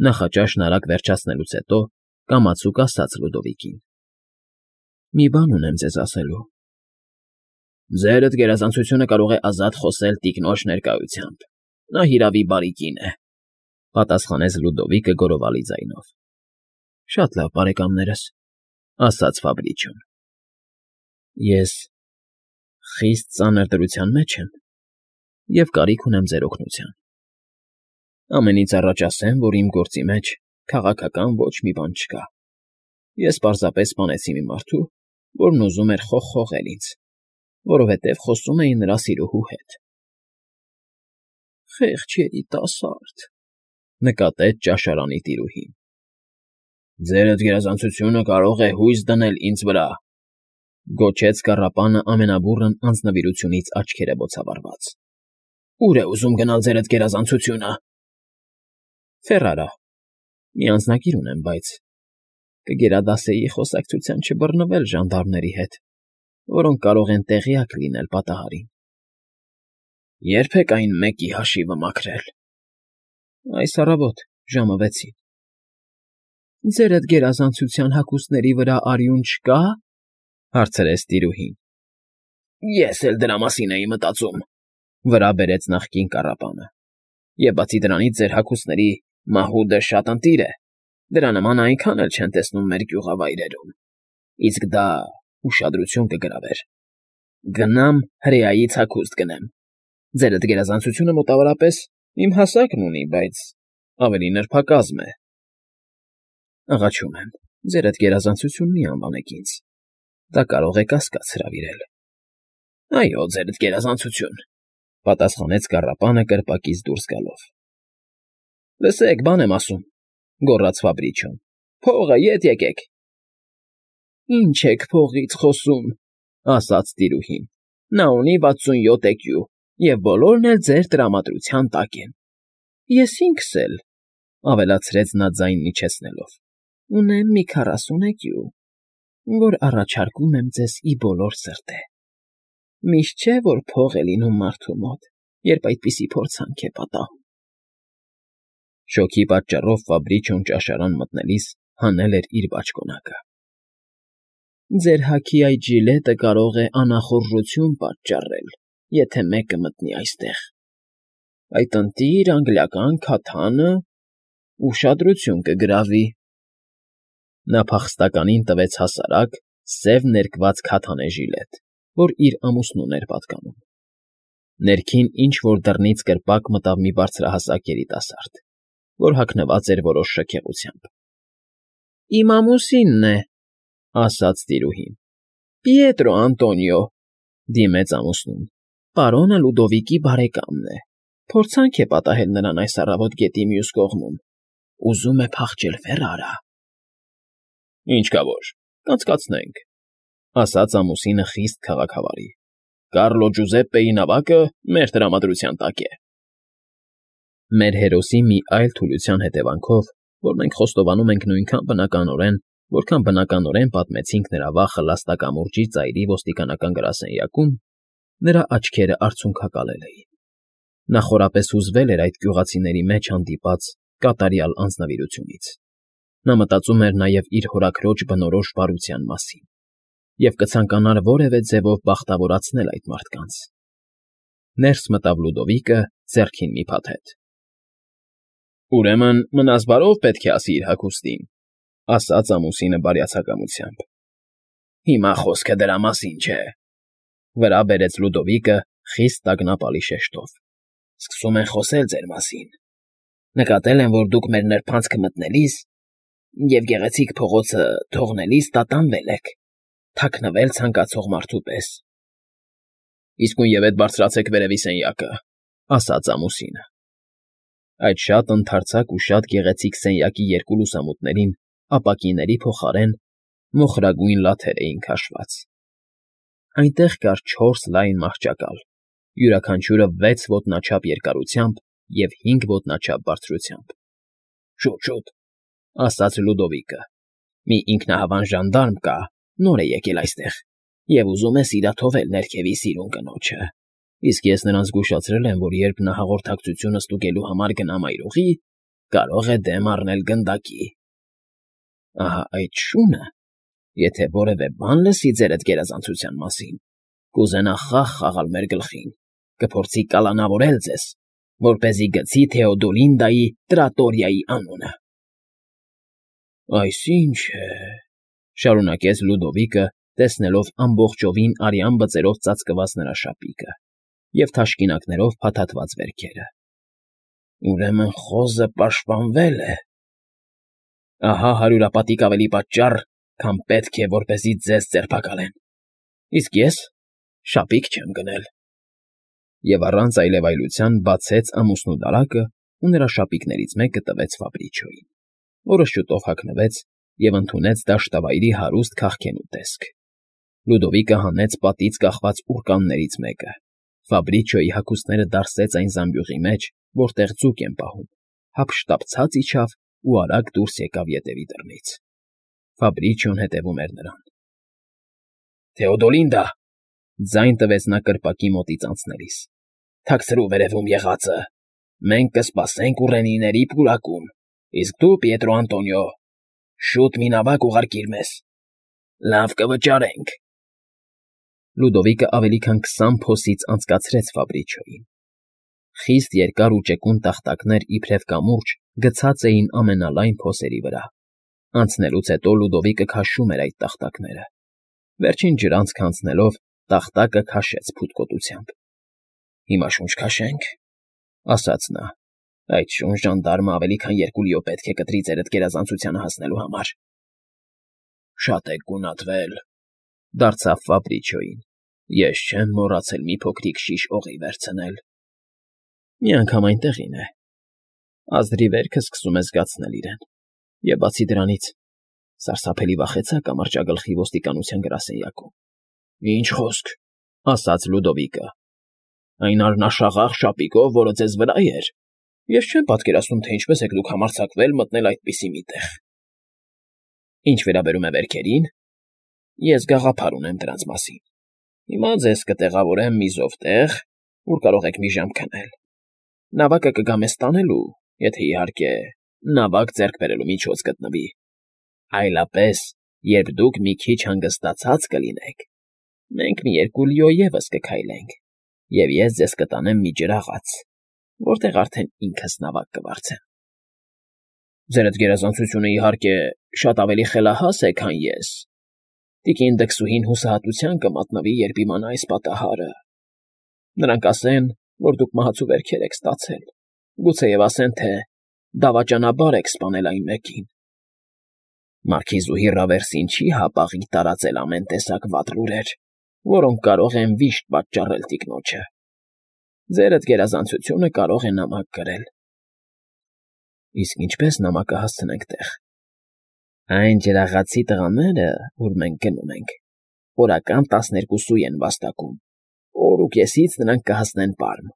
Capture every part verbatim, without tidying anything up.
Նախաճաշն արագ վերջացնելուց հետո կամացուկ ասաց Լուդովիկին. ֊ Մի բան ունեմ ձեզ ասելու։ ֊ Ձերդ գերազանցությունը կարող է ազատ խոսել տիկնոջ ներկայությամբ, նա հիրավի բարի կին է,֊ պատասխանեց Լուդովիկը գոռովալի ձայնով։ ֊ Շատ լավ, բարեկամներս,֊ ասաց Ֆաբրիչոն։ ֊ Ես խիստ ծանր դրության մեջ եմ և կարիք ունեմ ձեր օգնության։ Ամենից առաջ ասեմ, որ իմ գործի մեջ քաղաքական ոչ մի բան չկա. ես պարզապես սպանեցի մի մարդու, որն ուզում էր խողխողել ինձ, որովհետև խոսում էի նրա սիրուհու հետ։ ֊ Խեղճ երիտասարդ,֊ նկատեց ճաշարանի տիրուհին։ ֊ Ձերդ գերազանցությունը կարող է հույս դնել ինձ վրա,֊ գոչեց կառապանը ամենաբուռն անձնվիրությունից աչքերը բոցավառված։ ֊ Ո՞ւր է ուզում գնալ ձերդ գերազանցությունը։ ֊ Ֆերարա, մի անձնագիր ունեմ, բայց կգերադասեի խոսակցության չբռնվել ժանդարմների հետ, որոնք կարող են տեղյակ լինել պատահարին։ ֊ Ե՞րբ եք այն մեկի հաշիվը մաքրել։ ֊ Այս առավոտ ժամը վեցին։ ֊ Ձերդ գերազանցության հագուստների վրա արյուն չկա՞, հարցրեց տիրուհին։ ֊ Ես էլ դրա մասին էի մտածում,֊ վրա բերեց նախկին կառապանը,֊ և բացի դրանից ձեր հագուստների մահուդը շատ ընտիր է, դրա նմանը այնքան էլ չեն տեսնում մեր գյուղավայրերում, իսկ դա ուշադրություն կգրավեր։ Գնամ հրեայից հագուստ գնեմ։ Ձերդ գերազանցությունը մոտավորապես իմ հասակն ունի, բայց ավելի նրբակազմ է։ ֊ Աղաչում եմ, ձերդ գերազանցություն մի անվանեք ինձ, դա կարող է կասկած հրավիրել։ ֊ Այո, ձերդ գերազանցություն,֊ պատասխանեց կառապանը կրպակից դուրս գալով։ ֊ Լսեք, բան եմ ասում,֊ գոռաց Ֆաբրիչոն,֊ փողը ետ եկեք։ ֊ Ինչ եք փողից խոսում,֊ ասաց տիրուհին,֊ նա ունի վաթսունյոթ էկյու, և բոլորն էլ ձեր տրամադրության տակ են։ ֊ Ես ինքս էլ,֊ ավելացրեց նա ձայնն իջեցնելով,֊ ունեմ մի քառասուն էկյու, որ առաջարկում եմ ձեզ ի բոլոր սրտե։ Միշտ չէ, որ փող է լինում մարդու մոտ, երբ այդպիսի փորձանք է պատահում։ Շոգի պատճառով Ֆաբրիչոն ճաշարան մտնելիս հանել էր իր բաճկոնակը։ ֊ Ձեր հագի այդ ժիլետը կարող է անախորժություն պատճառել, եթե մեկը մտնի այստեղ։ Այդ ընտիր անգլիական քաթանը ուշադրություն կգրավի։ Նա փախստականին տվեց հասարակ, սև ներկված քաթանե ժիլետ, որ իր ամուսնուն էր պատկանում։ Ներքին ինչ֊որ դռնից կրպակ մտավ մի բարձրահասակ երիտասարդ, որ հագնված էր որոշ շքեղությամբ։ ֊ Իմ ամուսինն է,֊ ասաց տիրուհին։ ֊ Պիետրո Անտոնիո,֊ դիմեց ամուսնուն,֊ պարոնը Լուդովիկի բարեկամն է, փորձանք է պատահել նրան այս առավոտ գետի մյուս կողմում, ուզում է փախչել Ֆերարա։ ֊ Ինչ կա որ, կանցկացնենք,֊ ասաց ամուսինը խիստ քաղաքավարի։ Կարլո Ջուզեպպեի նավակը մեր տրամադրության տակ է։ Մեր հերոսի մի այլ թուլության հետևանքով, որ մենք խոստովանում ենք նույնքան բնականորեն, որքան բնականորեն պատմեցինք նրա վախը լաստակամուրջի ծայրի ոստիկանական գրասենյակում, նրա աչքերը արցունքակալել էին։ Նա խորապես հուզվել էր այդ գյուղացիների մեջ հանդիպած կատարյալ անձնվիրությունից։ Նա մտածում էր նաև իր հորաքրոջ բնորոշ բարության մասին և կցանկանար որևէ ձևով բախտավորացնել այդ մարդկանց։ Ներս մտավ Լուդովիկը ձեռքին մի փաթեթ։ ֊ Ուրեմն մնաս բարով պետք է ասի իր հագուստին,֊ ասաց ամուսինը բարյացակամությամբ։ ֊ Հիմա խոսքը դրա մասին չէ,֊ վրա բերեց Լուդովիկը խիստ տագնապալի շեշտով։ ֊ Սկսում են խոսել ձեր մասին։ Նկատել են, որ դուք մեր նրբանցքը մտնելիս և գեղեցիկ փողոցը թողնելիս տատանվել եք, թաքնվել ցանկացող մարդու պես։ ֊ Իսկույնևեթ բարձրացեք վերևի սենյակը,֊ ասաց ամուսինը։ Այդ շատ ընդարձակ ու շատ գեղեցիկ սենյակի երկու լուսամուտներին ապակիների փոխարեն մոխրագույն լաթեր էին քաշված։ Այնտեղ կար չորս լայն մահճակալ, յուրաքանչյուրը վեց ոտնաչափ երկարությամբ և հինգ ոտնաչափ բարձրությամբ։ ֊ Շուտ, շուտ,֊ ասաց Լուդովիկը,֊ մի ինքնահավան ժանդարմ կա, նոր է եկել այստեղ և ուզում է սիրաթովել ներքևի սիրուն կնոջը, իսկ ես նրան զգուշացրել եմ, որ երբ նա հաղորդակցությունը ստուգելու համար գնա մայրուղի, կարող է դեմ առնել գնդակի։ Ահա այդ շունը, եթե որևէ բան լսի ձերդ գերազանցության մասին, կուզենա խաղ խաղալ մեր գլխին, կփորձի կալանավորել ձեզ, որպեսզի գցի Թեոդոլինդայի տրատորիայի անունը։ Այսինչ է, շարունակեց Լյուդովիկը, տեսնելով ամբողջովին արյան բծերով ծածկված նրա շապիկը և թաշկինակներով փաթաթված վերքերը։ Ուրեմն խոզը պաշտպանվել է։ Ահա հարյուրապատիկ ավելի պատճառ, քան պետք է, որպեսզի ձեզ ձերբակալեն։ Իսկ ես շապիկ չեմ գնել։ Եվ առանց այլևայլության բացեց ամուսնու դարակը ու նրա շապիկներից մեկը տվեց Ֆաբրիչոյին, որը շուտով հագնվեց և ընդունեց դաշտավայրի հարուստ քաղքենու տեսք։ Լյուդովիկը հանեց պատից կախված ուռկաններից մեկը, Ֆաբրիչոյի հագուստները դարսեց այն զամբյուղի մեջ, որտեղ ձուկ են պահում, հափշտապցած իջավ ու արագ դուրս եկավ ետևի դռնից։ Ֆաբրիչոն հետևում էր նրան։ Թեոդոլինդա, ձայն տվեց նա կրպակի մոտից անցնելիս, թաքցրու վերևում եղածը, մենք կսպասենք ուռենիների պուրակում, իսկ դու, Պիետրո Անտոնիո, շուտ մի նավակ ուղարկիր մեզ, լավ կվճարենք։ Լյուդովիկը ավելի քան քսան փոսից անցկացրեց Ֆաբրիչոյին։ Խիստ երկար ու ճկուն տախտակներ իբրև կամուրջ գցած էին ամենալայն փոսերի վրա։ Անցնելուց հետո Լյուդովիկը քաշում էր այդ տախտակները։ Վերջին ջրանցքը անցնելով տախտակը քաշեց փութկոտությամբ։ Հիմա շունչ քաշենք, ասաց նա։ Այդ շուն ժանդարմը ավելի քան երկու լիո պետք է կտրի ձերդ գերազանցությանը հասնելու համար։ Շատ եք գունատվել, դարձավ Ֆաբրիչոյին։ Ես չեմ մոռացել մի փոքրիկ շիշ օղի վերցնել։ Մի անգամ այնտեղին է։ Ազդրի վերքը սկսում է զգացնել իրեն։ Եվ բացի դրանից, սարսափելի վախեցա կամրջագլխի ոստիկանության գրասենյակում։ Ինչ խոսք, ասաց Լյուդովիկը։ Այն արնաշաղախ շապիկով, որը ձեզ վրա էր։ Ես չեմ պատկերացնում, թե ինչպես եք դուք համարձակվել մտնել այդպիսի մի տեղ։ Ինչ վերաբերում է վերքերին, ես գաղափար ունեմ դրանց մասին։ Հիմա ձեզ կտեղավորեմ մի զով տեղ, ուր կարող եք մի ժամ քնել։ Նավակը կգա մեզ տանելու, եթե իհարկե նավակ ձեռք բերելու միջոց գտնվի։ Այլապես, երբ դուք մի քիչ հանգստացած կլինեք, մենք մի երկու լիո ևս կքայլենք, և ես ձեզ կտանեմ մի ջրաղաց, որտեղ արդեն ինքս նավակ կվարձեմ։ Ձերդ գերազանցությունը, իհարկե, շատ ավելի խելահաս է, քան ես։ Տիկին դքսուհին հուսահատության կմատնվի, երբ իմանա այս պատահարը։ Նրանք ասեն, որ դուք մահացու վերքեր եք ստացել, գուցեև ասեն, թե դավաճանաբար եք սպանել այն մեկին։ Մարքիզուհի Ռավերսին չի հապաղի տարածել ամեն տեսակ վատ լուրեր, որոնք կարող են վիշտ պատճառել տիկնոջը։ Ձերդ գերազանցությունը կարող է նամակ գրել։ Իսկ ինչպես նամակը հասցնենք տեղ։ Այն ջրաղացի տղաները, որ մենք գնում ենք, օրական տասներկուսու են վաստակում, օր ու կեսից նրանք կհասնեն Պարմ։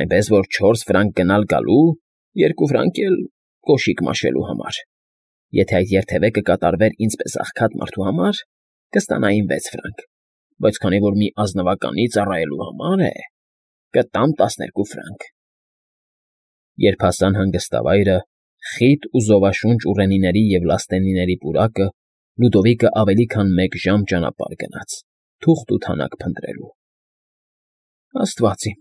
Այնպես որ չորս ֆրանկ գնալ գալու, երկու ֆրանկ էլ կոշիկ մաշելու համար։ Եթե այդ երթևեկը կատարվեր ինձպես աղքատ մարդու համար, կստանային վեց ֆրանկ, բայց քանի որ մի ազնվականի ծառայելու համար է, կտամ տասներկու ֆրանկ։ Երբ հասան հանգստավայրը, խիտ ու զովաշունչ ուռենիների և լաստենիների պուրակը, Լյուդովիկը ավելի քան մեկ ժամ ճանապարհ գնաց, թուղթ ու թանակ փնտրելու։ Աստված իմ,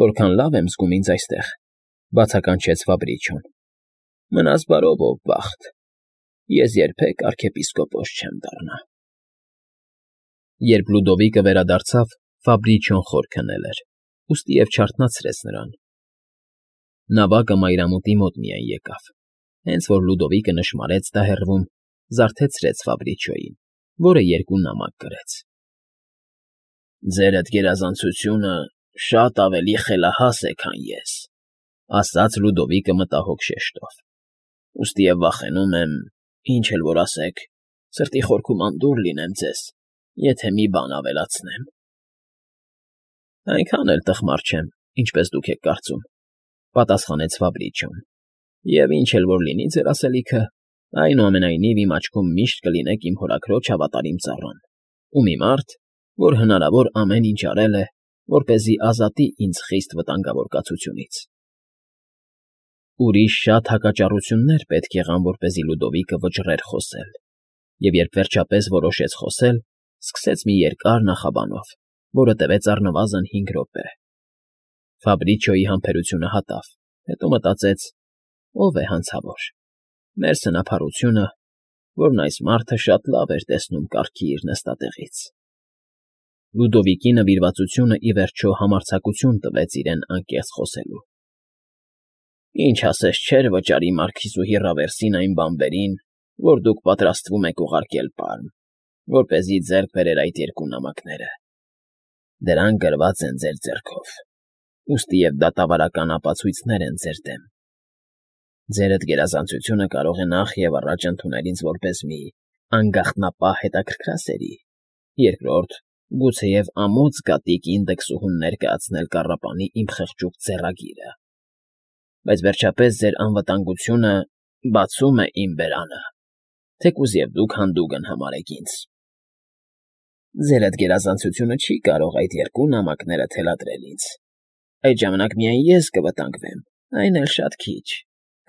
որքան լավ եմ զգում ինձ այստեղ, բացականչեց Ֆաբրիչոն։ Մնաս բարով, ով բախտ, ես երբեք արքեպիսկոպոս չեմ դառնա։ Երբ Լյուդովիկը վերադարձավ, Ֆաբրիչոն խոր քնել էր, ուստիև չարթնացրեց նրան։ Նավակը մայրամուտի մոտ միայն եկավ, հենց որ Լյուդովիկը նշմարեց դա հեռվում, զարթեցրեց Ֆաբրիչոյին, որը երկու նամակ գրեց։ Ձերդ գերազանցությունը շատ ավելի խելահաս է, քան ես, ասաց Լյուդովիկը մտահոգ շեշտով։ Ուստիև վախենում եմ, ինչ էլ որ ասեք, սրտի խորքում անդուռ լինեմ ձեզ, եթե մի բան ավելացնեմ։ Այնքան էլ տխմար չեմ, ինչպես դուք եք կարծում, պատասխանեց Ֆաբրիչոն, և ինչ էլ որ լինի ձեր ասելիքը, այնուամենայնիվ իմ աչքում միշտ կլինեք իմ հորաքրոջ հավատարիմ ծառան ու մի մարդ, որ հնարավոր ամեն ինչ արել է, որպեսզի ազատի ինձ խիստ վտանգավոր կացությունից։ Ուրիշ շատ հակաճառություններ պետք եղան, որպեսզի Լյուդովիկը վճռեր խոսել, և երբ վերջապես որոշեց խոսել, սկսեց մի երկար նախաբանով, որը տևեց առնվազն հինգ րոպե. Ֆաբրիչիոյի համբերությունը հատավ, հետո մտածեց. ով է հանցավոր, մեր սնափառությունը, որն այս մարդը շատ լավ էր տեսնում կառքի իր նստատեղից։ Լյուդովիկի նվիրվածությունը, ի վերջո, համարձակություն տվեց իրեն անկեղծ խոսելու։ Ինչ ասես չէր վճարի մարքիզուհի Ռավերսին այն բանվերին, որ դուք պատրաստվում եք ուղարկել Պարմ, որպեսզի ձեռք բերեր այդ երկու նամակները։ Դրանք գրված են ձեր ձեռքով, ուստի և դատավարական ապացույցներ են ձեր դեմ։ Ձերդ գերազանցությունը կարող է նախ և առաջ ընդունել ինձ որպես մի անգախտնապահ հետաքրքրասերի, երկրորդ, գուցեև ամոթ զգատիկ ինդեքսուհուն ներկայացնել կառապանի իմ խղճուկ ձեռագիրը, բայց վերջապես ձեր անվտանգությունը բացում է իմ բերանը, թեկուզ և դուք հանդուգն համարեք ինձ։ Ձերդ գերազանցությունը չի կարող այդ երկու նամակները թելադրել ինձ, այդ ժամանակ միայն ես կվտանգվեմ, այն էլ շատ քիչ,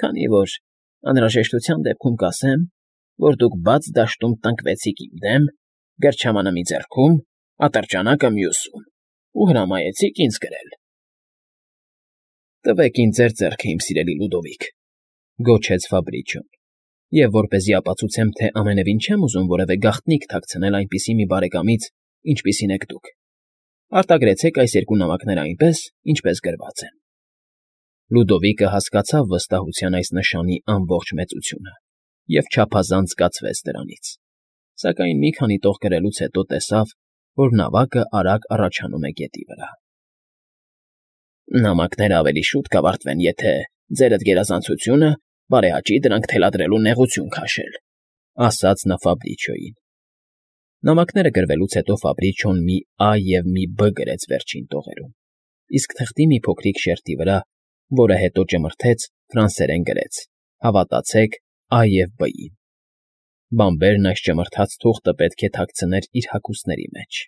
քանի որ անհրաժեշտության դեպքում կասեմ, որ դուք բաց դաշտում տնկվեցիք իմ դեմ, գրչամանը մի ձեռքում, ատրճանակը մյուսում, ու հրամայեցիք ինձ գրել։ Տվեք ինձ ձեր ձեռքը, իմ սիրելի Լյուդովիկ, գոչեց Ֆաբրիչիոն, և որպեսզի ապացուցեմ, թե ամենևին չեմ ուզում որևէ գաղտնիք թաքցնել այնպիսի մի բարեկամից, ինչպիսին եք դուք, արտագրեցեք այս երկու նամակները այնպես, ինչպես գրված են։ Լյուդովիկը հասկացավ վստահության այս նշանի ամբողջ մեծությունը և չափազանց կացվեց դրանից, սակայն մի քանի տող գրելուց հետո տեսավ, որ նավակը արագ առաջանում է գետի վրա։ Նամակները ավելի շուտ կավարտվեն, եթե ձերդ գերազանցությունը բարեհաճի դրանք թելադրելու նեղություն քաշել, ասաց նա Ֆաբրիչիոյին։ Նամակները գրվելուց հետո Ֆաբրիչիոն մի Ա և մի Բ գրեց վերջին տողերում, իսկ թղթի մի փոքրիկ շերտի վրա, որը հետո ճմրթեց, ֆրանսերեն գրեց. «Հավատացեք Ա և Բ֊ին»։ Բանվերն այս ճմրթած թուղթը պետք է թաքցներ իր հագուստների մեջ։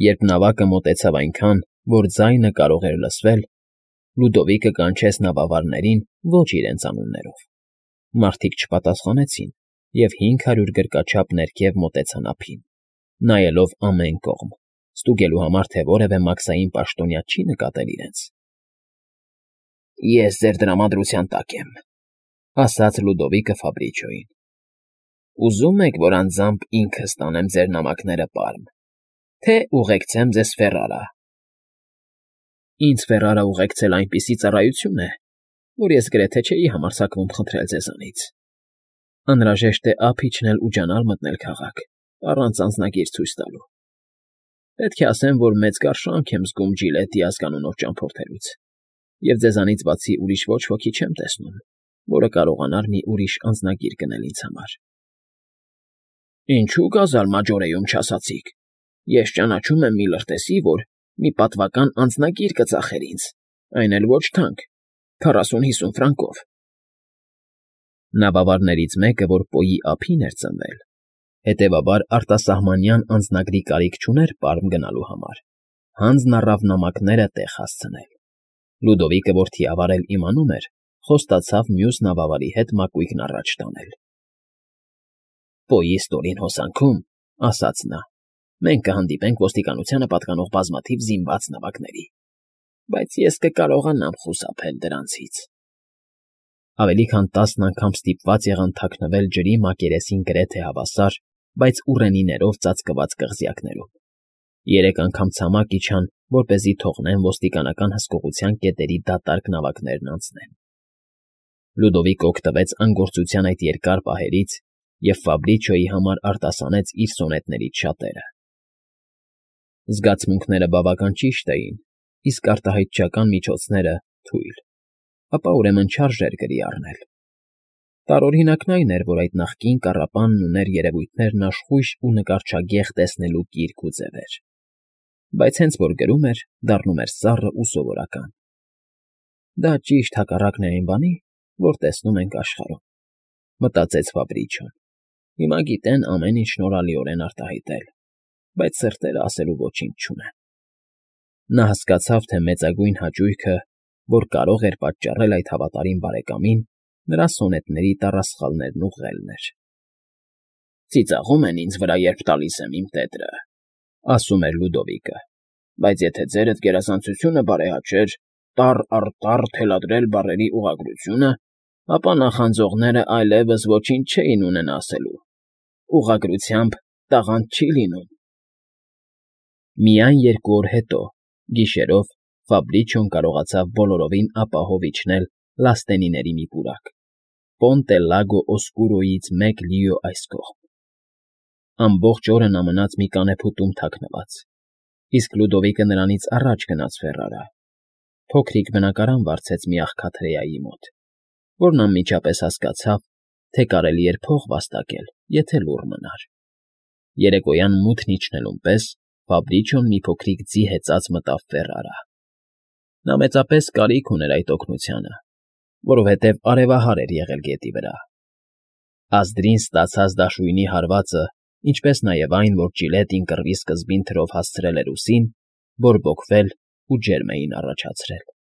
Երբ նավակը մոտեցավ այնքան, որ ձայնը կարող էր լսվել, Լյուդովիկը կանչեց նավավարներին ոչ իրենց անուններով։ Մարդիկ չպատասխանեցին, և հինգ հարյուր գրկաչափ ներքև մոտեցան ափին, նայելով ամեն կողմ, ստուգելու համար, թե որևէ մաքսային պաշտոնյա չի նկատել իրենց։ Ես ձեր տրամադրության տակ եմ, ասաց Լյուդովիկը Ֆաբրիչիոյին։ Ուզում եք, որ անձամբ ինքս տանեմ ձեր նամակները Պարմ, թե ուղեկցեմ ձեզ Ֆերարա։ Ինձ Ֆերարա ուղեկցել այնպիսի ծառայություն է, որ ես գրեթե չէի համարձակվում խնդրել ձեզանից։ Անհրաժեշտ է ափ իջնել ու ջանալ մտնել քաղաք, առանց անձնագիր ցույց տալու։ Պետք է ասեմ, որ մեծ կարշանք եմ զգում Ջիլետի ազգանունով ճամփորդելուց, և ձեզանից բացի ուրիշ ոչ ոքի չեմ տեսնում, որը կարողանար մի ուրիշ անձնագիր գնել ինձ համար։ Ինչու գազալ Մաջորեում չասացիք։ Ես ճանաչում եմ մի լրտեսի, որ մի պատվական անձնագիր կծախեր ինձ, այն էլ ոչ թանկ, քառասուն֊հիսուն ֆրանկով։ Նավավարներից մեկը, որ Պոյի ափին էր ծնվել, հետևաբար արտասահմանյան անձնագրի կարիք չուներ Պարմ գնալու համար, հանձն առավ նամակները տեղ հասցնել։ Լյուդովիկը, որ թիավարել իմանում էր, խոստացավ մյուս նավավարի հետ մակույկն առաջ տանել։ Պոյի ստորին հոսանքում, ասաց նա, մենք կհանդիպենք ոստիկանությանը պատկանող բազմաթիվ զինված նավակների, բայց ես կկարողանամ խուսափել դրանցից։ Ավելի քան տասն անգամ ստիպված եղան թաքնվել ջրի մակերեսին գրեթե հավասար, բայց ուռենիներով ծածկված կղզյակներում։ Երեք անգամ ցամաք իջան, որպեսզի թողնեն ոստիկանական հսկողության կետերի դատարկ նավակներն անցնեն։ Լյուդովիկը օգտվեց անգործության այդ երկար պահերից և Ֆաբրիչիոյի համար արտասանեց իր սոնետներից շատերը։ Զգացմունքները բավական ճիշտ էին, իսկ արտահայտչական միջոցները՝ թույլ, ապա ուրեմն չարժեր գրի առնել։ Տարօրինակն այն էր, որ այդ նախկին կառապանն ուներ երևույթներն աշխույժ ու նկարչագեղ տեսնելու կիրք ու ձևեր, բայց հենց որ գրում էր, դառնում էր սառը ու սովորական։ Դա ճիշտ հակառակն է այն բանի, որ տեսնում ենք աշխարհում, մտածեց Ֆաբրիչիոն։ Հիմա գիտեն ամեն ինչ շնորհալիորեն արտահայտել, բայց սրտերը ասելու ոչինչ չունեն։ Նա հասկացավ, թե մեծագույն հաճույքը որ կարող էր պատճառել այդ հավատարիմ բարեկամին նրա սոնետների տառասխալներն ուղղելն էր։ «Ծիծաղում են ինձ վրա, երբ տալիս եմ իմ տետրը,֊ ասում էր Լյուդովիկը,֊ բայց եթե ձերդ գերազանցությունը բարեհաճեր տառ առ տառ թելադրել բառերի ուղղագրությունը, ապա նախանձողներն այլևս ոչինչ չէին ունենա ասելու. ուղղագրությամբ տաղանդ չի լինում»։ Միայն երկու օր հետո, գիշերով, Ֆաբրիչոն կարողացավ բոլորովին ապահով իջնել լաստենիների մի պուրակ, Պոնտե Լագո Օսկուրոյից մեկ լիո այս կողմ։ Ամբողջ օրը նա մնաց մի կանեփուտում թաքնված, իսկ Լյուդովիկը նրանից առաջ գնաց Ֆերարա, փոքրիկ բնակարան վարձեց մի աղքատ հրեայի մոտ, որն անմիջապես հասկացավ, թե կարելի էր փող վաստակել, եթե լուռ մնար։ Երեկոյան մութն իջնելուն պես Ֆաբրիչոն մի փոքրիկ ձի հեծած մտավ Ֆերարա։ Նա մեծապես կարիք ուներ այդ օգնությանը, որովհետև արևահար էր եղել գետի վրա։ Ազդրին ստացած դաշույնի հարվածը, ինչպես նաև այն, որ ճիլետին կռվի սկզբին թրով հասցրել էր ուսին, բորբոքվել ու ջերմ էին առաջացրել։